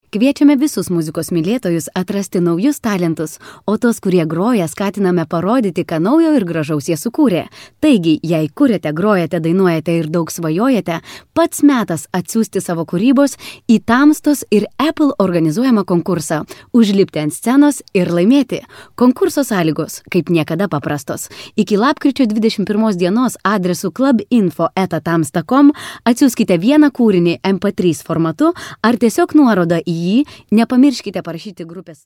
Kviečiame visus muzikos mylėtojus atrasti naujus talentus, o tos, kurie groja, skatiname parodyti, ką naujo ir gražaus jie sukūrė. Taigi, jei kuriate, grojate, dainuojate ir daug svajojate, pats metas atsiųsti savo kūrybos į Tamstos ir Apple organizuojamą konkursą, užlipti ant scenos ir laimėti. Konkurso sąlygos, kaip niekada paprastos. Iki lapkričio 21 dienos adresu clubinfo@tamsta.com atsiųskite vieną kūrinį MP3 formatu ar tiesiog nuorodą į jį, nepamirškite parašyti grupės.